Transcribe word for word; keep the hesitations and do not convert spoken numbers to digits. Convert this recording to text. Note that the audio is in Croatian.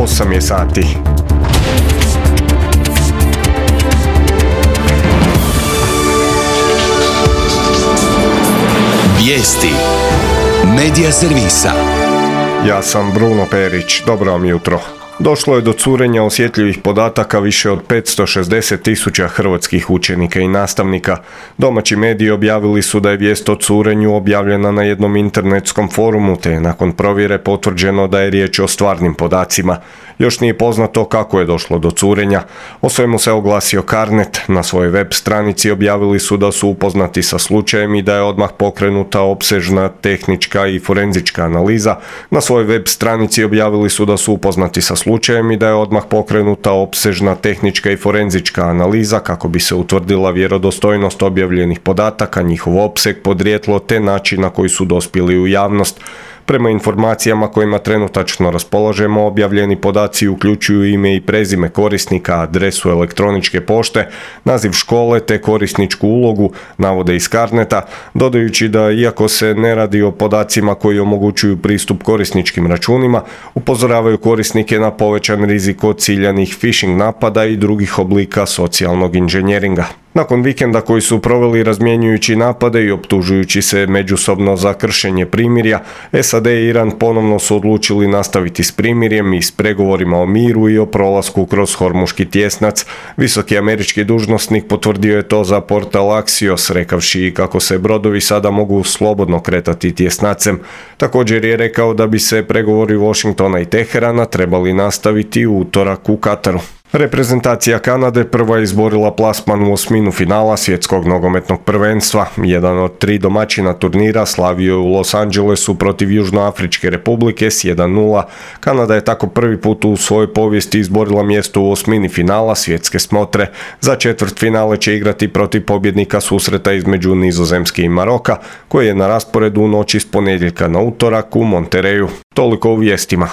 osam je sati. Vijesti Medija servisa. Ja sam Bruno Perić, dobro vam jutro. Došlo je do curenja osjetljivih podataka više od petsto šezdeset tisuća hrvatskih učenika i nastavnika. Domaći mediji objavili su da je vijest o curenju objavljena na jednom internetskom forumu, te je nakon provjere potvrđeno da je riječ o stvarnim podacima. Još nije poznato kako je došlo do curenja. O svemu se oglasio Carnet. Na svojoj web stranici objavili su da su upoznati sa slučajem i da je odmah pokrenuta opsežna tehnička i forenzička analiza. Na svojoj web stranici objavili su da su upoznati sa slučajem i da je odmah pokrenuta opsežna tehnička i forenzička analiza kako bi se utvrdila vjerodostojnost objavljenih podataka, njihov opseg, podrijetlo te način na koji su dospjeli u javnost. Prema informacijama kojima trenutačno raspolažemo, objavljeni podaci uključuju ime i prezime korisnika, adresu elektroničke pošte, naziv škole te korisničku ulogu, navode iz Carneta, dodajući da iako se ne radi o podacima koji omogućuju pristup korisničkim računima, upozoravaju korisnike na povećan rizik od ciljanih phishing napada i drugih oblika socijalnog inženjeringa. Nakon vikenda koji su proveli razmjenjujući napade i optužujući se međusobno za kršenje primirja, S A D i Iran ponovno su odlučili nastaviti s primirjem i s pregovorima o miru i o prolasku kroz Hormuški tjesnac. Visoki američki dužnosnik potvrdio je to za portal Axios, rekavši kako se brodovi sada mogu slobodno kretati tjesnacem. Također je rekao da bi se pregovori Washingtona i Teherana trebali nastaviti u utorak u Kataru. Reprezentacija Kanade prva je izborila plasman u osminu finala svjetskog nogometnog prvenstva. Jedan od tri domaćina turnira slavio je u Los Angelesu protiv Južnoafričke republike s jedan nula. Kanada je tako prvi put u svojoj povijesti izborila mjesto u osmini finala svjetske smotre. Za četvrtfinale će igrati protiv pobjednika susreta između Nizozemske i Maroka, koji je na rasporedu u noći s ponedjeljka na utorak u Montereju. Toliko u vijestima.